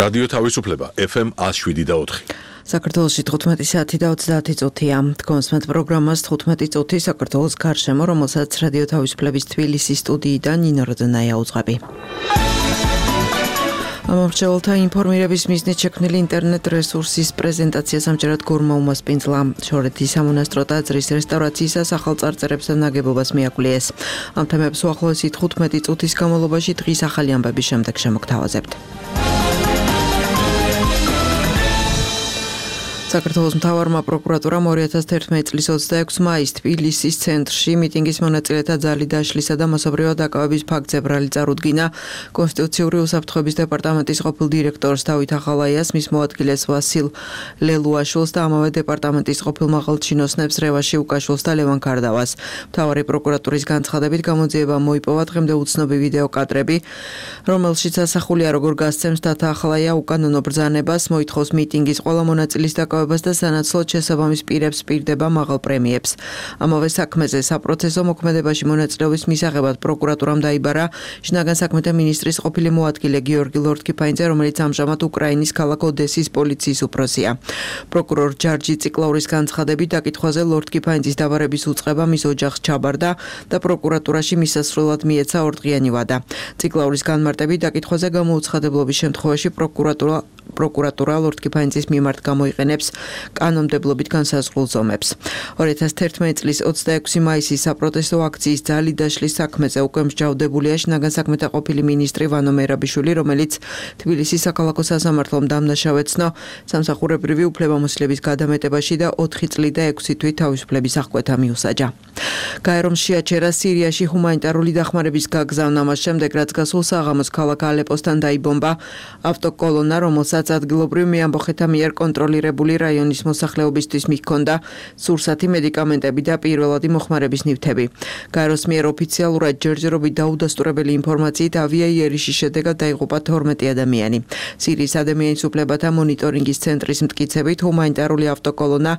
რადიო თავისუფლება FM 107.4. საქართველოში 15 საათი და 30 წუთია. კონსმეთ პროგრამას 15 წუთი საქართველოს გარშემო, რომელსაც რადიო თავისუფლების თბილისის სტუდიიდან ნინო როდონაია უძღვები. ამომრჩეველთა ინფორმირების მიზნით შექმნილი ინტერნეტ რესურსის პრეზენტაციას ამჯერად გორმა უმასპინძლა. შორეთის სამონასტრო ტაძრის რესტავრაციისა ახალ წარწერებს და ნაგებობას მიაკვლიეს. ამ თემებს უახლოესი 15 წუთის განმავლობაში დღის ახალი ამბების შემდეგ შემოგთავაზებთ. საქართველოს მთავარმა პროკურატურამ 2011 წლის 26 მაისს თბილისის ცენტრში მიტინგის მონაწილეთა ძალი დაშლისა და მასობრივად დაკავების ფაქტზე ბრალი წარუდგინა კონსტიტუციური უსაფრთხოების დეპარტამენტის ყოფილ დირექტორს დავით ახალაიას, მის მოადგილეს ვასილ ლელუაშვილს და ამავე დეპარტამენტის ყოფილ მაღალჩინოსნებს რევაში უკაშვილს და ლევან კარდავას. მთავარი პროკურატურის განცხადებით გამოძიება მოიპოვა დღემდე უცნობი ვიდეო კადრები, რომელშიც ასახულია როგორ გასცემს დათა ახალაია უკანონო ბრძანებას, მოითხოვს მიტინგის ყველა მონაწილის დაკავებას და სანაცვლოდ შესაბამის პირებს პირდება მაღალ პრემიებს. ამავე საქმეზე საპროცესო მოქმედებაში მონაწილეობის მისაღებად პროკურატურამ დაიბარა შინაგან საქმეთა მინისტრის ყოფილი მოადგილე გიორგი ლორთქიფანიძე, რომელიც ამჟამად უკრაინის ქალაქ ოდესის პოლიციის უფროსია. პროკურორ ჯარჯი ციკლაურის განცხადებით დაკითხვაზე ლორთქიფანიძის დაბარების უწყება მის ოჯახს ჩაბარდა და პროკურატურაში მისასვლელად მიეცა ორდღიანი ვადა. ციკლაურის განმარტებით დაკითხვაზე გამოუცხადებლობის შემთხვევაში პროკურატურა ლორთქიფანიძის მიმართ გამოიყენებს კანონმდებლობით განსაზღვრულ ზომებს. 2011 წლის 26 მაისის საპროტესტო აქციის ძალი დაშლის საქმეზე უკვე მსჯავრდებულია შინაგან საქმეთა ყოფილი მინისტრი ვანო მერაბიშვილი, რომელიც თბილისის საქალაქო სასამართლომ დამნაშავეცნო სამსახურებრივი უფლებამოსილების გადამეტებაში და 4 წლი და 6 თვით თავისუფლების აღკვეთა მიუსაჯა. გაერომ შეაჩერა სირიაში ჰუმანიტარული დახმარების გაგზავნა მას შემდეგ, რაც გასულ საღამოს ქალაქ ალეპოსთან დაიბომბა ავტოკოლონა, რომელსაც ადგილობრივ მეამბოხეთა მიერ კონტროლირებული რაიონის მოსახლეობისთვის მიჰქონდა სურსათი მედიკამენტები და პირველადი მოხმარების ნივთები. გაეროს მიერ ოფიციალურად ჯერჯერობით დაუდასტურებელი ინფორმაციით ავიაიერიშის შედეგად დაიღუპა 12 ადამიანი. სირიის ადამიანის უფლებათა მონიტორინგის ცენტრის მტკიცებით ჰუმანიტარული ავტოკოლონა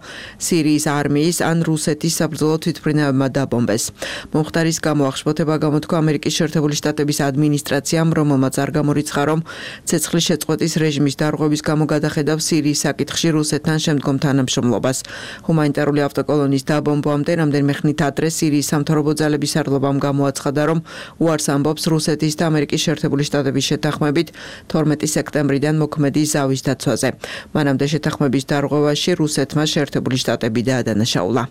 სირიის არმიის ან რუსეთის საბრძოლო თვითმფრინავებმა დაბომბეს. მომხდარის გამო აღშფოთება გამოთქვა ამერიკის შეერთებული შტატების ადმინისტრაციამ, რომელმაც არ გამორიცხა, რომ ცეცხლის შეწყვეტის რეჟიმის დარღვევის გამო გადახედავს სირიის საკითხში რუსეთთან შემდგომ თანამშრომლობას. ჰუმანიტარული ავტოკოლონის დაბომბვამდე რამდენიმე ხნით ადრე სირიის სამთავრობო ძალების სარდლობამ გამოაცხადა, რომ უარს ამბობს რუსეთის და ამერიკის შეერთებული შტატების შეთანხმებით 12 სექტემბრიდან მოქმედი ზავის დაცვაზე. მანამდე შეთანხმების დარღვევაში რუსეთმა შეერთებული შტატები დაადანაშაულა.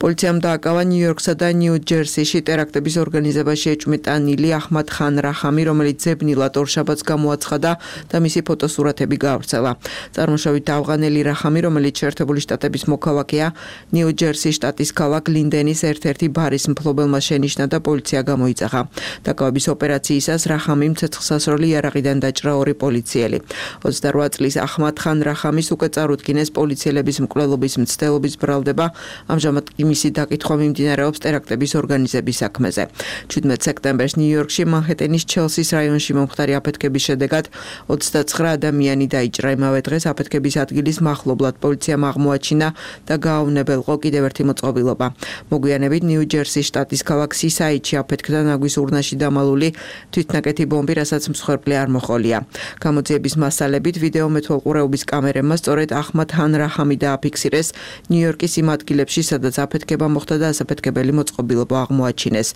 პოლიციამ დააკავა ნიუ-იორკსა და ნიუ-ჯერსიში ტერაქტების ორგანიზებაში ეჭვმიტანილი აჰმად ხან რაჰამი, რომელიც ზებნილად ორშაბათს გამოაცხადა და მისი ფოტოსურათები გაავრცელა. წარმოშობით ავღანელი რაჰამი, რომელიც შეერთებული შტატების მოქალაქეა, ნიუ-ჯერსის შტატის ქალაქ ლინდენის ერთ-ერთი ბარის მფლობელმა შენიშნა და პოლიცია გამოიძახა. დაკავების ოპერაციისას რაჰამიმ ცეცხლსასროლი იარაღიდან დაჭრა 2 პოლიციელი. 28 წლის აჰმად ხან რაჰამის უკვე წარუდგინეს პოლიციელების მკვლელობის მცდელობის ბრალდება, ამჟამად მისი დაკითხვა მიმდინარეობს ტერაქტების ორგანიზების საქმეზე. 17 სექტემბერს ნიუ-იორკში მანჰეტენის ჩელსის რაიონში მომხდარი აფეთქების შედეგად 29 ადამიანი დაიჭრა. იმავე დღეს აფეთქების ადგილის მახლობლად პოლიციამ აღმოაჩინა და გაავნებელყო კიდევ ერთი მოწყობილობა. მოგვიანებით ნიუ-ჯერსის შტატის ქალაქ სისაიდში აფეთქდა ნაგვის ურნაში დამალული თვითნაკეთი ბომბი, რასაც მსხვერპლი არ მოჰყოლია. გამოძიების მასალებით ვიდეო მეთვალყურეობის კამერებმა სწორედ აჰმად ხან რაჰამი დააფიქსირეს ნიუ-იორკის იმ ადგილებში, სადაც აფეთქება მოხდა და ასაფეთქებელი მოწყობილობა აღმოაჩინეს.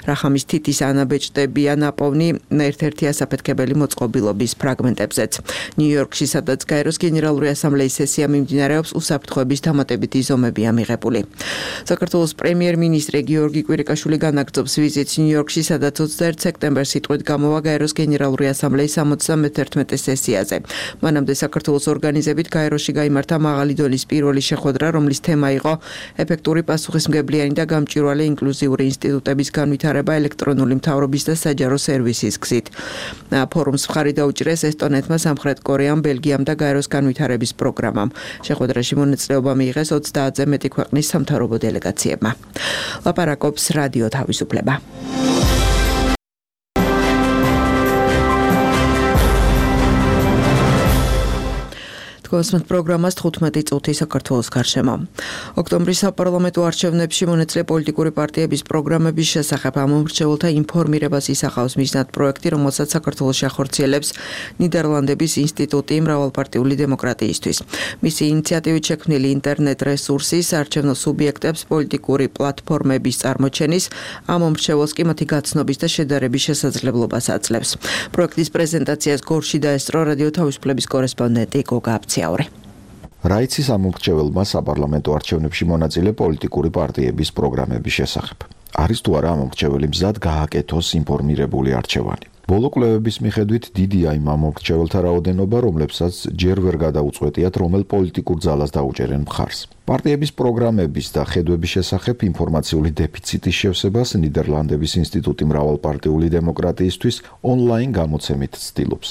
რაჰამის თითის ანაბეჭდებია ნაპოვნი ერთ-ერთი ასაფეთქებელი მოწყობილობის ფრაგმენტებზეც. ნიუ-იორკში, სადაც გაეროს გენერალური ასამბლეის სესია მიმდინარეობს, უსაფრთხოების დამატებითი ზომებია მიღებული. საქართველოს პრემიერ-მინისტრი გიორგი კვირიკაშვილი განაგრძობს ვიზიტს ნიუ-იორკში, სადაც 21 სექტემბერს სიტყვით გამოვა გაეროს გენერალური ასამბლეის 71 სესიაზე. მანამდე საქართველოს ორგანიზებით გაეროში გაიმართა მაღალი დონის პირველი შეხვედრა, რომლის თემა იყო ეფექტური პასუხისმგებლიანი და გამჭვირვალე ინკლუზიური ინსტიტუტების განვითარება ელექტრონული მთავრობის და საჯარო სერვისის გზით. ფორუმს მხარი დაუჭირეს ესტონეთმა, სამხრეთ კორეამ, ბელგიამ და გაეროს განვითარების პროგრამამ. შეხვედრაში მონაწილეობა მიიღეს 30-ზე მეტი ქვეყნის სამთავრობო დელეგაციებმა. ლაპარაკობს რადიო თავისუფლება. გვასმენთ პროგრამას 15 წუთი საქართველოს გარშემო. ოქტომბრის საპარლამენტო არჩევნებში მონაწილე პოლიტიკური პარტიების პროგრამების შესახებ ამომრჩეველთა ინფორმირებას ისახავს მიზნად პროექტი, რომელსაც საქართველოში ახორციელებს ნიდერლანდების ინსტიტუტი მრავალპარტიული დემოკრატიისთვის. მისი ინიციატივით შექმნილი ინტერნეტ რესურსის არჩევნო სუბიექტებს პოლიტიკური პლატფორმების წარმოჩენის, ამომრჩეველს კი მათი გაცნობის და შედარების შესაძლებლობას აძლევს. პროექტის პრეზენტაციას გორში დაესწრო რადიო თავისუფლების კორესპონდენტი გოგა აბციაური. რაიცის ამომრჩეველმა საპარლამენტო არჩევნებში მონაწილე პოლიტიკური პარტიების პროგრამების შესახებ. არის თუ არა ამომრჩეველი მზად გააკეთოს ინფორმირებული არჩევანი. ბოლო კვლევების მიხედვით დიდია იმ ამომრჩეველთა რაოდენობა, რომლებსაც ჯერ ვერ გადაუწყვეტიათ, რომელ პოლიტიკურ ძალას დაუჭერენ მხარს. პარტიების პროგრამების და ხედვების შესახებ ინფორმაციული დეფიციტის შევსებას ნიდერლანდების ინსტიტუტი მრავალპარტიული დემოკრატიისთვის ონლაინ გამოცემით ცდილობს.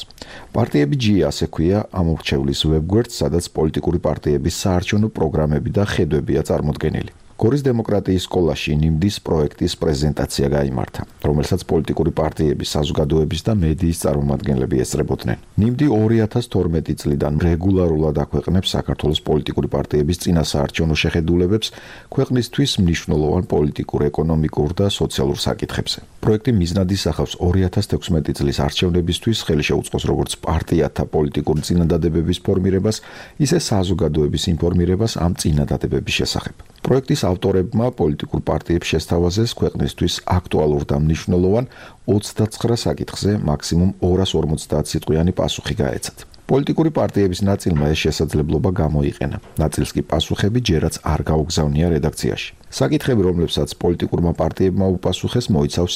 პარტიები G ასე ქვია ამომრჩევლის ვებგვერდს, სადაც პოლიტიკური პარტიების საარჩევნო პროგრამები და ხედვებია წარმოდგენილი. გორის დემოკრატიის სკოლაში ნიმდის პროექტის პრეზენტაცია გაიმართა, რომელსაც პოლიტიკური პარტიების, საზოგადოების და მედიის წარმომადგენლები ესწრებოდნენ. ნიმდი 2012 წლიდან რეგულარულად აქვეყნებს საქართველოს პოლიტიკური პარტიების წინასაარჩევნო შეხედულებებს ქვეყნისთვის მნიშვნელოვან პოლიტიკურ, ეკონომიკურ და სოციალურ საკითხებზე. პროექტი მიზნად ისახავს 2016 წლის არჩევნებისთვის ხელი შეუწყოს როგორც პარტიათა პოლიტიკური წინადადებების ფორმირებას, ისე საზოგადოების ინფორმირებას ამ წინადადებების შესახებ. პროექტის ავტორებმა პოლიტიკურ პარტიებს შესთავაზეს ქვეყნისთვის აქტუალურ და მნიშვნელოვან 29 საკითხზე მაქსიმუმ 250 სიტყვიანი პასუხი გაეცათ. პოლიტიკური პარტიების ნაწილმა ეს შესაძლებლობა გამოიყენა. ნაწილს კი პასუხები ჯერაც არ გაუგზავნია რედაქციაში. საკითხები, რომლებსაც პოლიტიკურმა პარტიებმა უპასუხეს, მოიცავს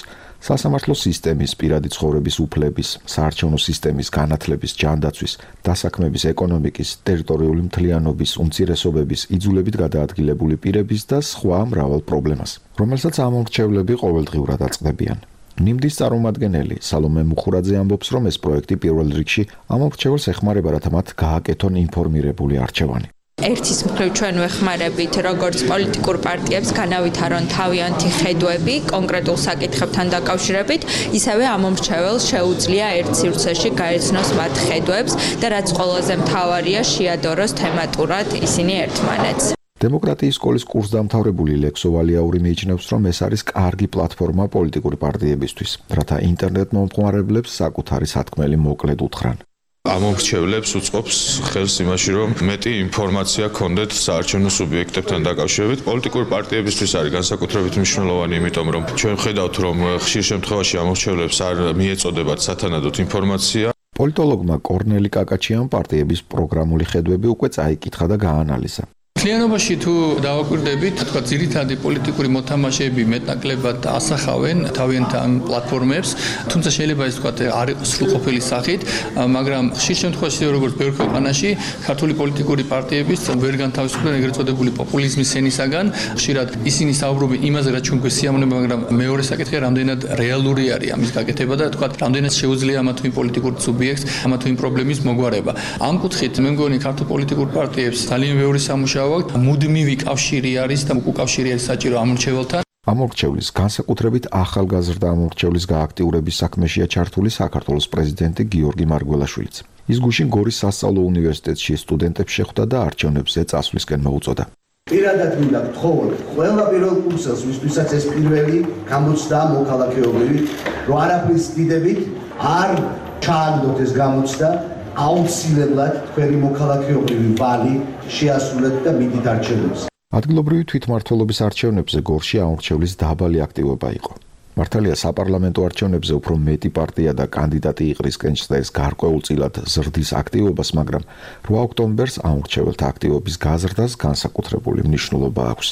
სასამართლო სისტემის, პირადი ცხოვრების უფლების, საარჩევნო სისტემის, განათლების, ჯანდაცვის, დასაქმების, ეკონომიკის, ტერიტორიული მთლიანობის, უმცირესობების, იძულებით გადაადგილებული პირების და სხვა მრავალ პრობლემას, რომელსაც ამომრჩევლები ყოველდღიურად აწყდებიან. ნიმდის წარმომადგენელი სალომე მუხურაძე ამბობს, რომ ეს პროექტი პირველ რიგში ამომრჩეველს ეხმარება, რათა მათ გააკეთონ ინფორმირებული არჩევანი. ერთის მხრივ ჩვენ ვეხმარებით როგორც პოლიტიკურ პარტიებს განავითარონ თავიანთი ხედვები კონკრეტულ საკითხებთან დაკავშირებით, ისევე ამომრჩეველს შეუძლია ერთ სივრცეში გაეცნოს მათ ხედვებს და რაც ყველაზე მთავარია, შეადოროს თემატურად ისინი ერთმანეთს. დემოკრატიის სკოლის კურსდამთავრებული ლექსო ვალიაური მიიჩნევს, რომ ეს არის კარგი პლატფორმა პოლიტიკური პარტიებისთვის, რათა ინტერნეტ მომხმარებლებს საკუთარი სათქმელი მოკლედ უთხრან. ამომრჩევლებს უწყობს ხელს იმაში, რომ მეტი ინფორმაცია ქონდეთ საარჩევნო სუბიექტებთან დაკავშირებით. პოლიტიკური პარტიებისთვის არის განსაკუთრებით მნიშვნელოვანი, იმიტომ რომ ჩვენ ვხედავთ, რომ ხშირ შემთხვევაში ამომრჩევლებს არ მიეწოდებათ სათანადოდ ინფორმაცია. პოლიტოლოგმა კორნელი კაკაჩიამ პარტიების პროგრამული ხედვები უკვე წაიკითხა და გაანალიზა. მთლიანობაში თუ დავაკვირდებით, თქვა ძირითადი პოლიტიკური მოთამაშეები მეტნაკლებად ასახავენ თავიანთ ამ პლატფორმებს, თუმცა შეიძლება ეს თქვა არ იყოს სრულყოფილი სახით, მაგრამ ხშირ შემთხვევაში როგორც ბევრ ქვეყანაში ქართული პოლიტიკური პარტიებიც ვერ განთავისუფლდნენ ეგრეთ წოდებული პოპულიზმის სენისაგან. ხშირად ისინი საუბრობენ იმაზე, რაც ჩვენ გვესიამოვნება, მაგრამ მეორე საკითხია, რამდენად რეალური არის ამის გაკეთება და თქვა რამდენად შეუძლია ამა თუ იმ პოლიტიკურ სუბიექტს ამა თუ იმ პრობლემის მოგვარება. ამ კუთხით მე მგონი ქართულ პოლიტიკურ პარტიებს ძალიან ბევრი სამუშაო მუდმივი კავშირი არის და უკავშირი არის საჭირო ამომრჩეველთან. ამომრჩევლის განსაკუთრებით ახალგაზრდა ამომრჩევლის გააქტიურების საქმეშია ჩართული საქართველოს პრეზიდენტი გიორგი მარგველაშვილიც. ის გუშინ გორის სასწავლო უნივერსიტეტში სტუდენტებს შეხვდა და არჩევნებზე წასვლისკენ მოუწოდა. პირადად მინდა გთხოვოთ ყველა პირველ კურსელს, ვისთვისაც ეს პირველი გამოცდა მოქალაქეობრივი, რომ არაფრის დიდებით არ ჩააგდოთ ეს გამოცდა. აუცილებლად თქვენი მოქალაქეობრივი ვალი შეასრულეთ და მიდით არჩევნებს. ადგილობრივი თვითმმართველობის არჩევნებზე გორში ამომრჩევლის დაბალი აქტივობა იყო. მართალია საპარლამენტო არჩევნებზე უფრო მეტი პარტია და კანდიდატი იყრისკენ ჩნდეს გარკვეულწილად ზრდის აქტივობას, მაგრამ 8 ოქტომბერს ამომრჩეველთა აქტივობის გაზრდას განსაკუთრებული მნიშვნელობა აქვს.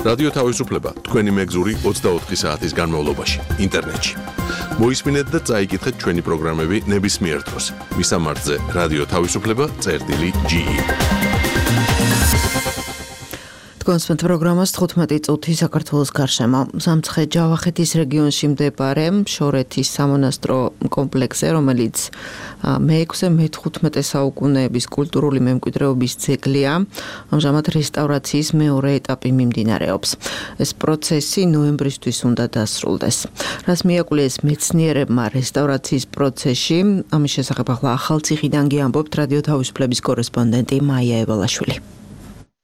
რადიო თავისუფლება თქვენი მეგზური 24 საათის განმავლობაში ინტერნეტში. მოისმინეთ და წაიკითხეთ ჩვენი პროგრამები ნებისმიერ დროს. მისამართზე რადიო თავისუფლება წერტილი.ge კონსპენთ პროგრამას 15 წუთი საქართველოს გარშემო. სამცხე-ჯავახეთის რეგიონში მდებარე შორეთის სამონასტრო კომპლექსზე, რომელიც მე-15 საუკუნეების კულტურული მემკვიდრეობის ძეგლია, ამჟამად რესტავრაციის მეორე ეტაპი მიმდინარეობს. ეს პროცესი ნოემბრისთვის უნდა დასრულდეს. რას მიაკვლეს მეცნიერებმა რესტავრაციის პროცესში, ამის შესახებ ახლა ახალციხიდან გიამბობთ რადიო თავისუფლების კორესპონდენტი მაია ევალაშვილი.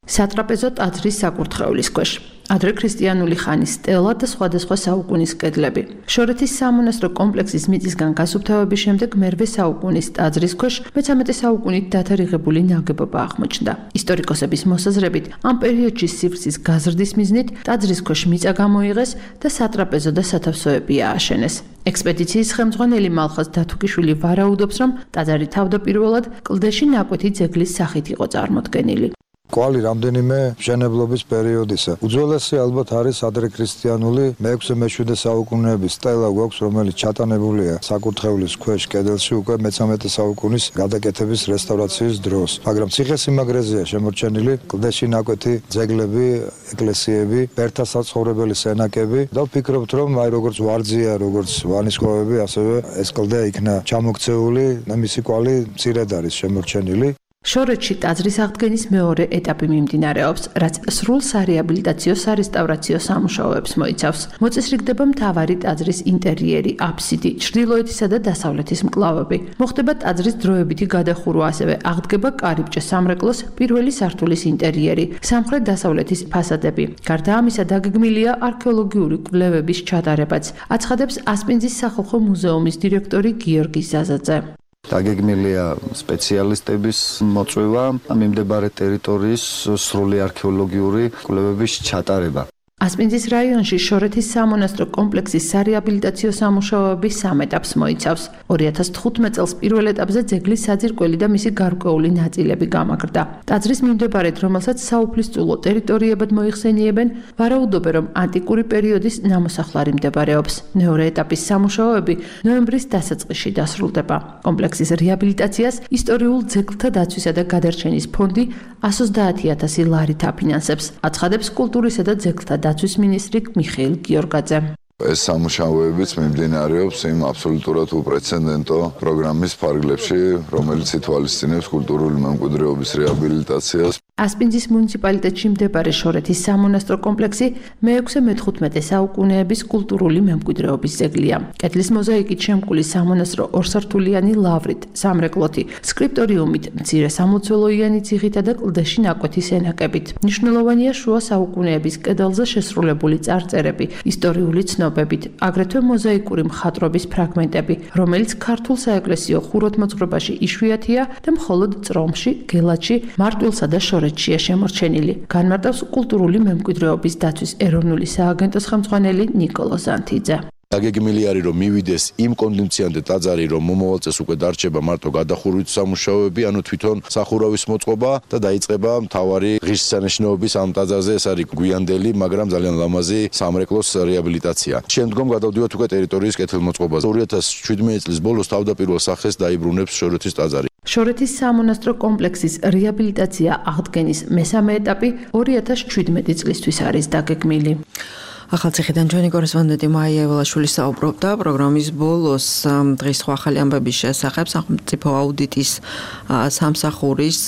სატრაპეზო ტაძრის საკურთხევლის ქვეშ. ადრე ქრისტიანული ხანის სტელა და სხვადასხვა საუკუნის კედლები. შორეთის სამონასტრო კომპლექსის მიწისგან გასუფთავების შემდეგ მერვე საუკუნის ტაძრის ქვეშ მე-13 საუკუნით დათარიღებული ნაგებობა აღმოჩნდა. ისტორიკოსების მოსაზრებით, ამ პერიოდში სივრცის გაზრდის მიზნით ტაძრის ქვეშ მიწა გამოიღეს და სატრაპეზო და სათავსოები ააშენეს. ექსპედიციის ხელმძღვანელი მალხაზ დათუკიშვილი ვარაუდობს, რომ ტაძარი თავდაპირველად კლდეში ნაკვეთი ძეგლის სახით იყო წარმოდგენილი. კვალი რამდენიმე მშენებლობის პერიოდისა. უძველესი ალბათ არის ადრექრისტიანული მე-6-მე-7 საუკუნეების სტელა გვაქვს, რომელიც ჩატანებულია საკურთხევლის ქვეშ კედელში უკვე მე-13 საუკუნის გადაკეთების რესტავრაციის დროს. მაგრამ ციხესიმაგრეზეა შემორჩენილი კლდეში ნაკვეთი ძეგლები, ეკლესიები, ბერთა საცხოვრებელი სენაკები და ვფიქრობთ, რომ აი როგორც ვარძია, როგორც ვანისკოვები, ასევე ეს კლდე იქნა ჩამოქცეული, მისი კვალი მცირედ არის შემორჩენილი. შორეთში ტაძრის აღდგენის მეორე ეტაპი მიმდინარეობს, რაც სრულ სარეაბილიტაციო სარესტავრაციო სამუშაოებს მოიცავს. მოწესრიგდება მთავარი ტაძრის ინტერიერი, აფსიდი, ჩრდილოეთისა და დასავლეთის მკლავები. მოხდება ტაძრის დროებითი გადახურვა, ასევე აღდგება კარიბჭე სამრეკლოს პირველი სართულის ინტერიერი, სამხრეთ-დასავლეთის ფასადები. გარდა ამისა, დაგეგმილია არქეოლოგიური კვლევების ჩატარებაც, აცხადებს ასპინძის სახალხო მუზეუმის დირექტორი გიორგი ზაზაძე. დაგეგმილია სპეციალისტების მოწვევა, მიმდებარე ტერიტორიის სრული არქეოლოგიური კვლევების ჩატარება. ასპინძის რაიონში შორეთის სამონასტრო კომპლექსის სარეაბილიტაციო სამუშაოების 3 ეტაპს მოიცავს. 2015 წელს პირველ ეტაპზე ძეგლის საძირკველი და მისი გარკვეული ნაწილები გამაგრდა. ტაძრის მიმდებარედ, რომელსაც საუფლისწულო ტერიტორიებად მოიხსენიებენ, ვარაუდობენ, რომ ანტიკური პერიოდის ნამოსახლარი მდებარეობს. მეორე ეტაპის სამუშაოები ნოემბრის დასაწყისში დასრულდება. კომპლექსის რეაბილიტაციას ისტორიულ ძეგლთა დაცვისა და გადარჩენის ფონდი 130,000 ლარით აფინანსებს, აცხადებს კულტურისა და ძეგლთა დაცვის მინისტრი მიხეილ გიორგაძე. ეს სამუშაოებიც მიმდინარეობს იმ აბსოლუტურად უპრეცედენტო პროგრამის ფარგლებში, რომელიც ითვალისწინებს კულტურული მემკვიდრეობის რეაბილიტაციას. ასპინძის მუნიციპალიტეტში მდებარე შორეთის სამონასტრო კომპლექსი მე-6-მე-15 საუკუნეების კულტურული მემკვიდრეობის ძეგლია. კედლის მოზაიკით შემკული სამონასტრო ორსართულიანი ლავრით, სამრეკლოთი, სკრიპტორიუმით, მცირე სამლოცველოიანი ციხითა და კლდეში ნაკვეთი სენაკებით. მნიშვნელოვანია შუა საუკუნეების კედელზე შესრულებული წარწერები, ისტორიული ცნობებით, აგრეთვე მოზაიკური მხატვრობის ფრაგმენტები, რომელიც ქართულ საეკლესიო ხუროთმოძღვრებაში იშვიათია და მხოლოდ წრომში, გელათში, მარტვილსა და შორეთშია შემორჩენილი. განმარტავს კულტურული მემკვიდრეობის დაცვის ეროვნული სააგენტოს ხელმძღვანელი ნიკოლო ზანთიძე. დაგეგმილი არის რომ მივიდეს იმ კონდიციამდე ტაძარი რომ მომავალ წელს უკვე დარჩება მარტო გადახურვით სამუშაოები, ანუ თვითონ სახურავის მოწყობა და დაიწყება მთავარი ღირსშესანიშნაობის ამ ტაძარზე, ეს არის გვიანდელი, მაგრამ ძალიან ლამაზი სამრეკლოს რეაბილიტაცია. შემდგომ გადავდივართ უკვე ტერიტორიის კეთილმოწყობაზე. 2017 წლის ბოლოს თავდაპირველ სახეს დაიბრუნებს შორეთის ტაძარი. შორეთის სამონასტრო კომპლექსის რეაბილიტაცია აღდგენის მესამე ეტაპი 2017 წლისთვის არის დაგეგმილი. ახალციხიდან ჩვენი კორესპონდენტი მაია ევალაშვილი საუბრობდა პროგრამის ბოლოს დღის სხვა ახალი ამბების შესახებ სახელმწიფო აუდიტის სამსახურის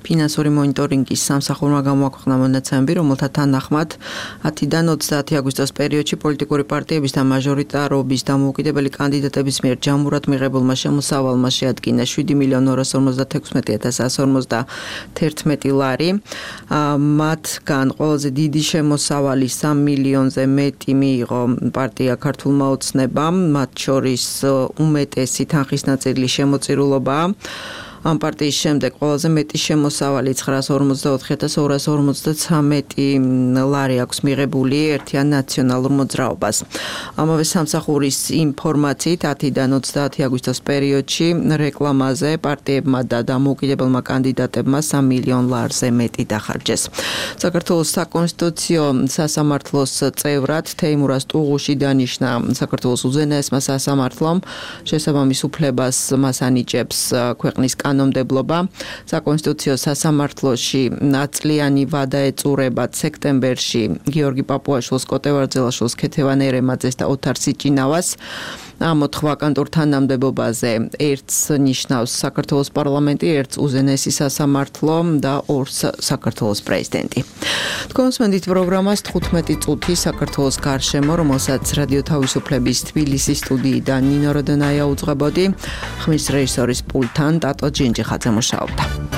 ფინანსური მონიტორინგის სამსახურმა გამოაქვეყნა მონაცემები, რომელთა თანახმად 10-დან 30 აგვისტოს პერიოდში პოლიტიკური პარტიების და მაჟორიტარობის დამოუკიდებელი კანდიდატების მიერ ჯამურად მიღებულმა შემოსავალმა შეადგინა 7,950,151 ლარი. მათგან ყველაზე დიდი შემოსავალი 3 მილიონზე მეტი მიიღო პარტია ქართულმა ოცნებამ, მათ შორის უმეტესი თანხის ნაწილი შემოწირულობაა. ამ პარტიის შემდეგ ყველაზე მეტი შემოსავალი 954,253 ლარი აქვს მიღებული ერთიან ნაციონალურ მოძრაობას. ამავე სამსახურის ინფორმაციით 10-დან 30 აგვისტოს პერიოდში რეკლამაზე პარტიებმა და დამოუკიდებელმა კანდიდატებმა 3 მილიონ ლარზე მეტი დახარჯეს. საქართველოს საკონსტიტუციო სასამართლოს წევრად თეიმურაზ ტუღუში დანიშნა საქართველოს უზენაესმა სასამართლომ შესაბამის უფლებას მას ანიჭებს ქვეყნის კანონმდებლობა. საკონსტიტუციო სასამართლოში ნაწლიანი ვადა ეწურებათ სექტემბერში გიორგი პაპუაშვილს, კოტე ვარძელაშვილს, ქეთევან ერემაძეს და ოთარ სიჭინავას. ამ 4 ვაკანტურ თანამდებობაზე ერთს ნიშნავს საქართველოს პარლამენტი, ერთს უზენაესი სასამართლო და ორს საქართველოს პრეზიდენტი. თქვენს მენდით პროგრამას 15 წუთი საქართველოს გარშემო, რომელსაც რადიო თავისუფლების თბილისის სტუდიიდან ნინო როდონაია უძღვებოდი, ხმის რეჟისორის პულტთან ტატო ჯინჯიხაძე მუშაობდა.